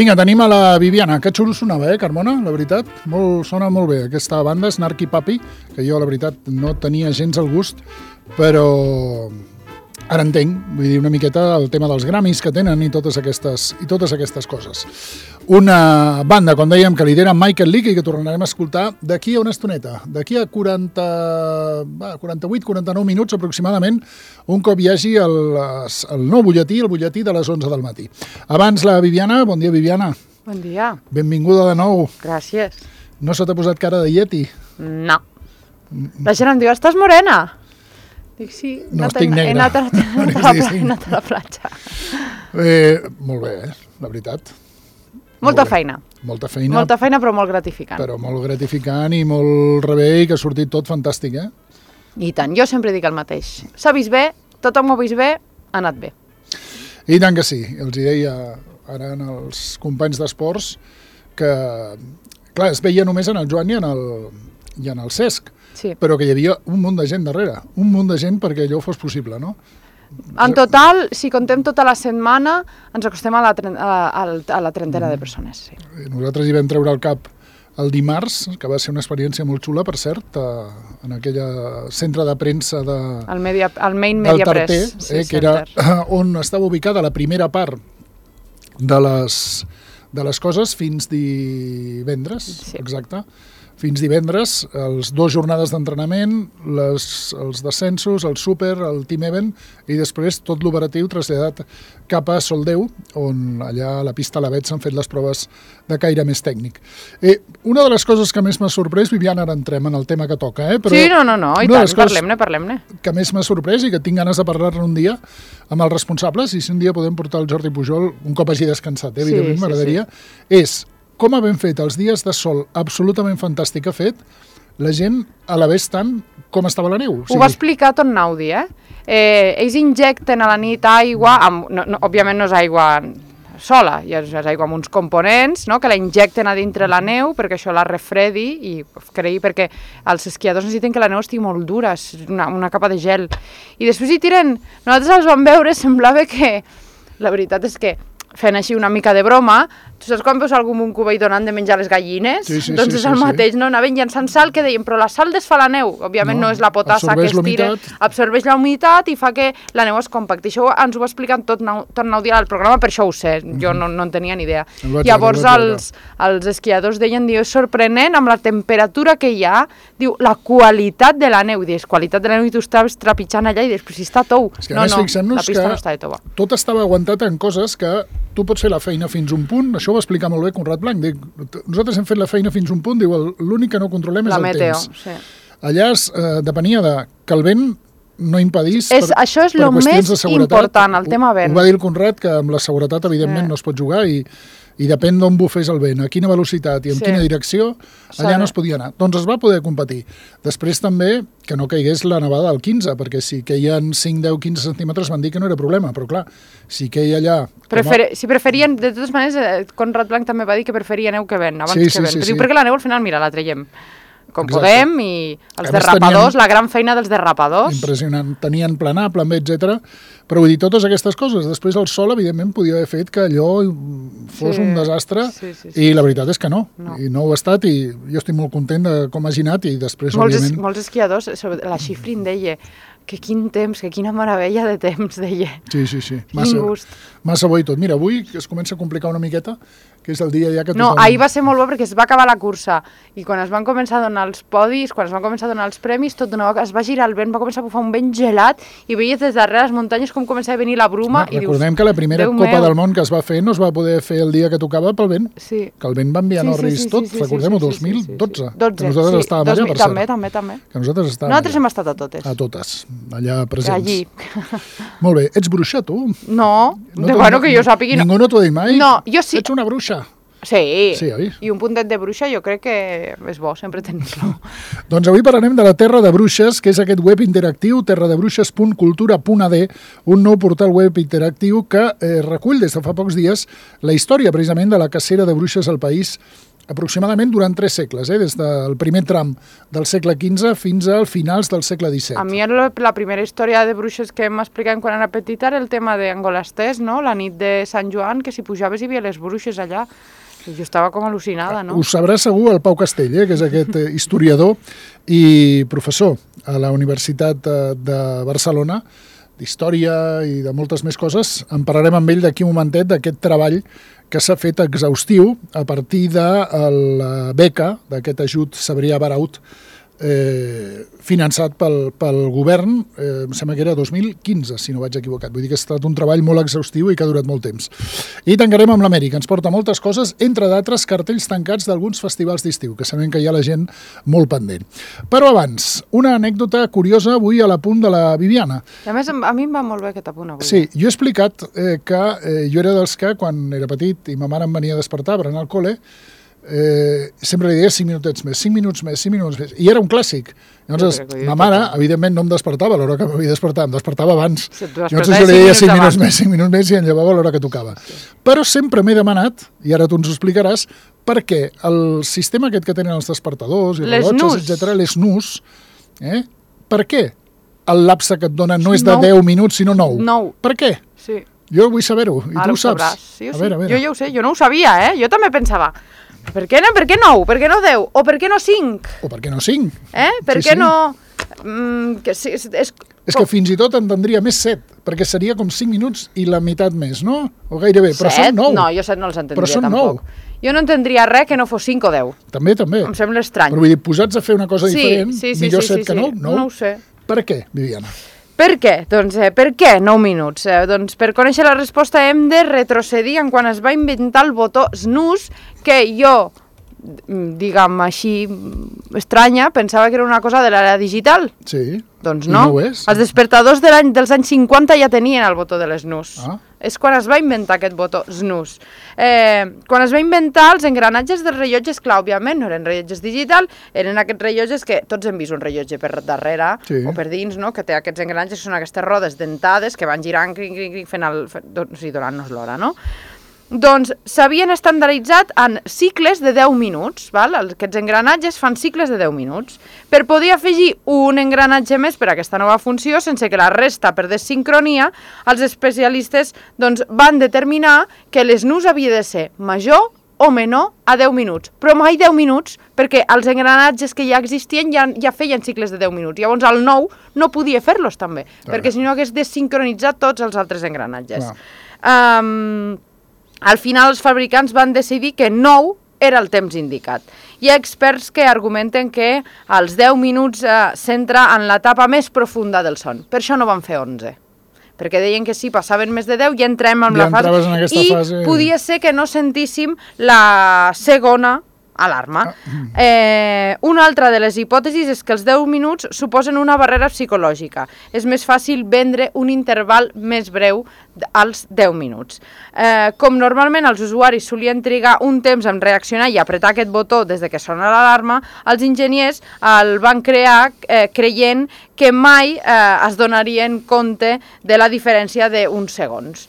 Vinga, tenim a la Viviana. Que xulo sonava, Carmona? La veritat, sona molt bé. Aquesta banda, Snarky Puppy, que jo, la veritat, no tenia gens el gust, però ara entenc, vull dir, una miqueta el tema dels Grammys que tenen i totes aquestes coses. Una banda, com dèiem, que lidera Michael Leakey, que tornarem a escoltar d'aquí a una estoneta, d'aquí a 48-49 minuts aproximadament, un cop hi hagi el nou butlletí, el butlletí de les 11 del matí. Abans la Viviana, bon dia Viviana. Bon dia. Benvinguda de nou. Gràcies. No se t'ha posat cara de Yeti? No. La gent em diu, estàs morena? Dic, sí. No, estic negra. He anat a la platja. Molt bé, la veritat. Molta feina. Molta feina. Molta feina, però molt gratificant. Però molt gratificant i molt rebé i que ha sortit tot fantàstic, I tant, jo sempre dic el mateix. S'ha vist bé, tothom ho ha vist bé, ha anat bé. I tant que sí. Els hi deia ara als companys d'esports que, clar, es veia només en el Joan i en el Cesc, sí. Però que hi havia un munt de gent darrere, un munt de gent perquè allò fos possible, no? En total, si contem tota la setmana, ens acostem a la trentena de persones. Sí. Nosaltres hi vam treure el cap el dimarts, que va ser una experiència molt xula, per cert, en aquell centre de premsa el Main Media Tarter, Press, sí, que era on estava ubicada la primera part de les coses fins divendres, sí. Exacte. Fins divendres, les 2 jornades d'entrenament, els descensos, el súper, el team event, i després tot l'operatiu traslladat cap a Soldeu, on allà a la pista a l'Avet s'han fet les proves de caire més tècnic. Una de les coses que més m'ha sorprès, Viviana, ara entrem en el tema que toca, però sí, no, i tant, parlem-ne. Que més m'ha sorprès i que tinc ganes de parlar-ne un dia amb els responsables, i si un dia podem portar el Jordi Pujol, un cop hagi descansat, evidentment, sí, m'agradaria, és com ha ben fet els dies de sol absolutament fantàstic que ha fet, la gent a la vez tant com estava la neu. Ho va explicar tot Naudi, ells injecten a la nit aigua, òbviament no és aigua sola, és aigua amb uns components, no?, que la injecten a dintre la neu perquè això la refredi i perquè els esquiadors necessiten que la neu estigui molt dura, és una capa de gel. I després hi tiren, nosaltres els vam veure, semblava que, la veritat és que fent així una mica de broma, tu saps quan veus algú amb un cubell donant de menjar les gallines? Sí, doncs és el mateix, no? Anaven llançant sal que deien, però la sal desfà la neu, òbviament no és la potassa que es tira, absorbeix la humitat i fa que la neu es compacti. Això ens ho va explicar tot Naudi al programa, per això ho sé, jo no en tenia ni idea. Llavors els esquiadors deien, és sorprenent amb la temperatura que hi ha, diu, la qualitat de la neu, dius, qualitat de la neu i tu estaves trepitjant allà i després si està tou. No, la pista no està de tova. Tot estava aguantat en coses que tu pots fer la feina fins un punt, això ho va explicar molt bé Conrad Blanc, dic, nosaltres hem fet la feina fins un punt, diu, l'únic que no controlem és el temps. Sí. Allà depenia que el vent no impedís això és el més important, el tema vent. Ho va dir el Conrad, que amb la seguretat evidentment no es pot jugar i depèn d'on bufés el vent, a quina velocitat i en quina direcció, allà no es podia anar. Doncs es va poder competir. Després també que no caigués la nevada al 15, perquè si queien 5, 10, 15 centímetres van dir que no era problema, però clar, si queia allà... Si preferien, de totes maneres, Conrad Blanc també va dir que preferia neu que vent, abans que vent. Diu, perquè la neu al final, mira, la traiem com podem, i els derrapadors, la gran feina dels derrapadors. Impressionant, tenien planar, plan B, etc. Però vull dir, totes aquestes coses. Després el sol, evidentment, podia haver fet que allò fos un desastre, i la veritat és que no. I no ho ha estat, i jo estic molt content de com hagi anat, i després, òbviament... Molts esquiadors, la Schifrin deia que quin temps, que quina meravella de temps, deia. Sí. Massa bo i tot. Mira, avui es comença a complicar una miqueta, que és el dia ja que tothom... No, ahir va ser molt bo perquè es va acabar la cursa i quan es van començar a donar els podis, quan es van començar a donar els premis, es va girar el vent, va començar a bufar un vent gelat i veies des darrere les muntanyes com començava a venir la bruma i dius... Recordem que la primera Copa del Món que es va fer no es va poder fer el dia que tocava pel vent, que el vent va enviar Norris tot, recordem-ho, 2012, que nosaltres estàvem allà, per cert. També. Que nosaltres hem estat a totes. A totes, allà presents. Allí. Molt bé, ets bruixa, tu? No, bueno, que jo sàpigui... Ningú no t'ho ha dit mai? No, jo sí. Ets una bruixa. Sí, oi? I un puntet de bruixa jo crec que és bo, sempre tenir-lo. Doncs avui parlarem de la Terra de Bruixes, que és aquest web interactiu, terradebruixes.cultura.ad, un nou portal web interactiu que recull des de fa pocs dies la història precisament de la cacera de bruixes al país aproximadament durant 3 segles, des del primer tram del segle XV fins al finals del segle XVII. A mi la primera història de bruixes que m'explicaven quan era petita era el tema d'Angolastès, no? La nit de Sant Joan, que si pujaves hi havia les bruixes allà. I jo estava com al·lucinada, no? Ho sabrà segur el Pau Castell, que és aquest historiador i professor a la Universitat de Barcelona, d'història i de moltes més coses. En parlarem amb ell d'aquí un momentet, d'aquest treball que s'ha fet exhaustiu a partir de la beca d'aquest ajut Cebrià Baraut, finançat pel govern, em sembla que era 2015, si no vaig equivocat. Vull dir que ha estat un treball molt exhaustiu i que ha durat molt temps. I tancarem amb l'Amèrica. Ens porta moltes coses, entre d'altres cartells tancats d'alguns festivals d'estiu, que sabem que hi ha la gent molt pendent. Però abans, una anècdota curiosa avui a l'apunt de la Viviana. I a més, a mi em va molt bé aquest apunt avui. Sí, jo he explicat que jo era dels que, quan era petit i ma mare em venia a despertar per anar al col·le, sempre li deia 5 minutets més, 5 minuts més, 5 minuts més, i era un clàssic. Llavors, ma mare, evidentment, no em despertava a l'hora que m'havia despertat, em despertava abans. Llavors jo li deia 5 minuts més i em llevava a l'hora que tocava. Però sempre m'he demanat, i ara tu ens ho explicaràs, per què el sistema aquest que tenen els despertadors i rellotges, etc., les NUS, per què el lapse que et donen no és de 10 minuts, sinó 9? 9. Per què? Sí. Jo vull saber-ho, i tu ho saps. Sí, a veure. Jo ja ho sé, jo no ho sabia, Jo també pensava, per què 9? Per què no 10? O per què no 5? O per què no 5? Per què no... És que fins i tot entendria més 7, perquè seria com 5 minuts i la meitat més, no? O gairebé, però són 9. No, jo 7 no els entendria però són tampoc. 9. Jo no entendria res que no fos 5 o 10. També. Em sembla estrany. Però vull dir, posats a fer una cosa diferent, millor 7 que 9? No ho sé. Per què, Viviana? Per què? Doncs, per què 9 minuts? Doncs per conèixer la resposta hem de retrocedir en quan es va inventar el botó snooze, que jo, diguem així, estranya, pensava que era una cosa de l'era digital. Sí. Doncs no. I no ho és. Els despertadors dels anys 50 ja tenien el botó de l'snooze. És quan es va inventar aquest botó snooze. Quan es va inventar, els engranatges dels rellotges, clar, òbviament, no eren rellotges digital, eren aquests rellotges que tots hem vist un rellotge per darrere o per dins, no? Que té aquests engranatges, que són aquestes rodes dentades que van girant, donant-nos l'hora, no? Doncs s'havien estandarditzat en cicles de 10 minuts, val? Aquests engranatges fan cicles de 10 minuts. Per poder afegir un engranatge més per a aquesta nova funció, sense que la resta perdés sincronia, els especialistes van determinar que l'snooze havia de ser major o menor a 10 minuts, però mai 10 minuts, perquè els engranatges que ja existien ja feien cicles de 10 minuts. Llavors el 9 no podia fer-los també, perquè si no hagués desincronitzat tots els altres engranatges. Al final els fabricants van decidir que 9 era el temps indicat. Hi ha experts que argumenten que els 10 minuts s'entra en l'etapa més profunda del son. Per això no van fer 11. Perquè deien que si passaven més de 10 ja entrem en la fase i podia ser que no sentíssim la segona alarma. Una altra de les hipòtesis és que els 10 minuts suposen una barrera psicològica. És més fàcil vendre un interval més breu als 10 minuts. Com normalment els usuaris solien trigar un temps en reaccionar i apretar aquest botó des que sona l'alarma, els enginyers el van crear creient que mai es donarien compte de la diferència d'uns segons.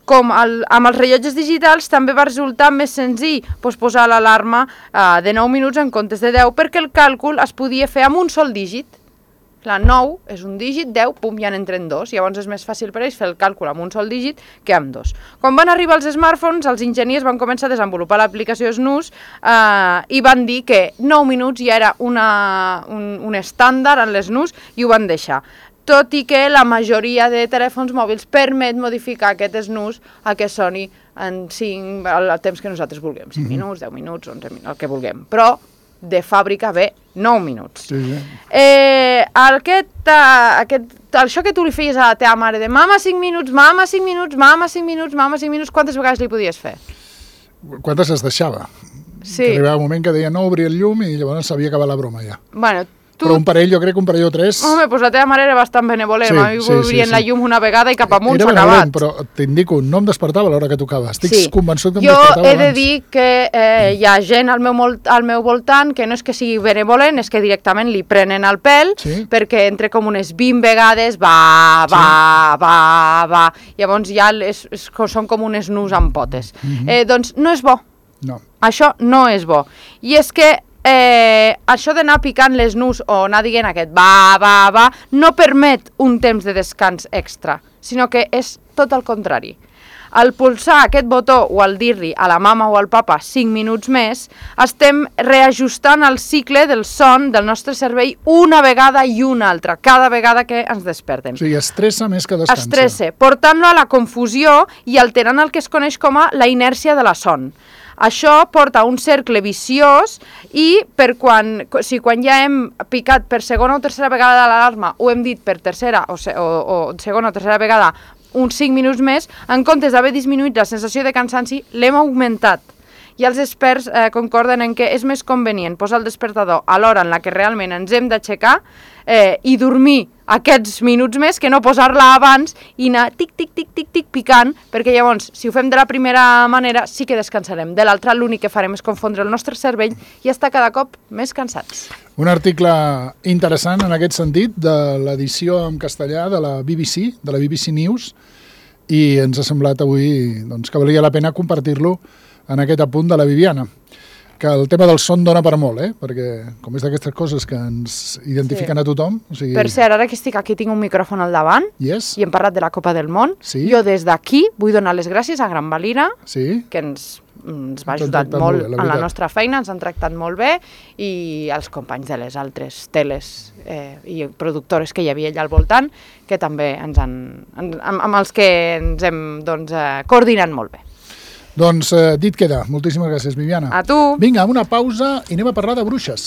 Com amb els rellotges digitals també va resultar més senzill posar l'alarma de 9 minuts en comptes de 10 perquè el càlcul es podia fer amb un sol dígit. Clar, 9 és un dígit, 10, pum, ja n'entren 2, llavors és més fàcil per ells fer el càlcul amb un sol dígit que amb 2. Quan van arribar els smartphones, els enginyers van començar a desenvolupar l'aplicació Snooze i van dir que 9 minuts ja era un estàndard en l'Snooze i ho van deixar. Tot i que la majoria de telèfons mòbils permet modificar aquest snooze a que soni en el temps que nosaltres vulguem, 5 minuts, 10 minuts, 11 minuts, el que vulguem. Però de fàbrica ve 9 minuts. Això que tu li feies a la teva mare de mama 5 minuts, mama 5 minuts, mama 5 minuts, mama 5 minuts, quantes vegades li podies fer? Quantes es deixava? Sí. Arribava un moment que deia no obrir el llum i llavors s'havia acabat la broma ja. Bueno, però un parell, jo crec que un parell o 3... Home, doncs la teva mare era bastant benevolent. A mi obrien la llum una vegada i cap amunt s'ha acabat. Era benevolent, però t'indico, no em despertava a l'hora que tocava. Estic convençut que em despertava abans. Jo he de dir que hi ha gent al meu voltant que no és que sigui benevolent, és que directament li prenen el pèl, perquè entre com unes 20 vegades va. Llavors ja són com unes nus amb potes. Doncs no és bo. No. Això no és bo. I és que això d'anar picant les nus o anar dient aquest va, no permet un temps de descans extra, sinó que és tot el contrari. Al pulsar aquest botó o al dir-li a la mama o al papa 5 minuts més, estem reajustant el cicle del son del nostre cervell una vegada i una altra, cada vegada que ens despertem. O sigui, estressa més que descansa. Estressa, portant-lo a la confusió i alterant el que es coneix com a la inèrcia de la son. Això porta a un cercle viciós i quan ja hem picat per segona o tercera vegada l'alarma o hem dit per tercera o segona o tercera vegada uns 5 minuts més, en comptes d'haver disminuït la sensació de cansanci, l'hem augmentat. I els experts concorden en que és més convenient posar el despertador a l'hora en la que realment ens hem d'aixecar i dormir aquests minuts més que no posar-la abans i anar tic picant, perquè llavors, si ho fem de la primera manera, sí que descansarem. De l'altra, l'únic que farem és confondre el nostre cervell i estar cada cop més cansats. Un article interessant en aquest sentit de l'edició en castellà de la BBC News, i ens ha semblat avui doncs, que valia la pena compartir-lo en aquest apunt de la Viviana, que el tema del son dona per molt, perquè com és d'aquestes coses que ens identifiquen a tothom... O sigui... Per cert, ara que estic aquí tinc un micròfon al davant i hem parlat de la Copa del Món. Jo des d'aquí vull donar les gràcies a Gran Valira, que ens va ajudar molt en la nostra feina, ens han tractat molt bé, i als companys de les altres teles i productores que hi havia allà al voltant, que també amb els que ens hem coordinat molt bé. Doncs dit queda. Moltíssimes gràcies, Viviana. A tu. Vinga, una pausa i anem a parlar de bruixes.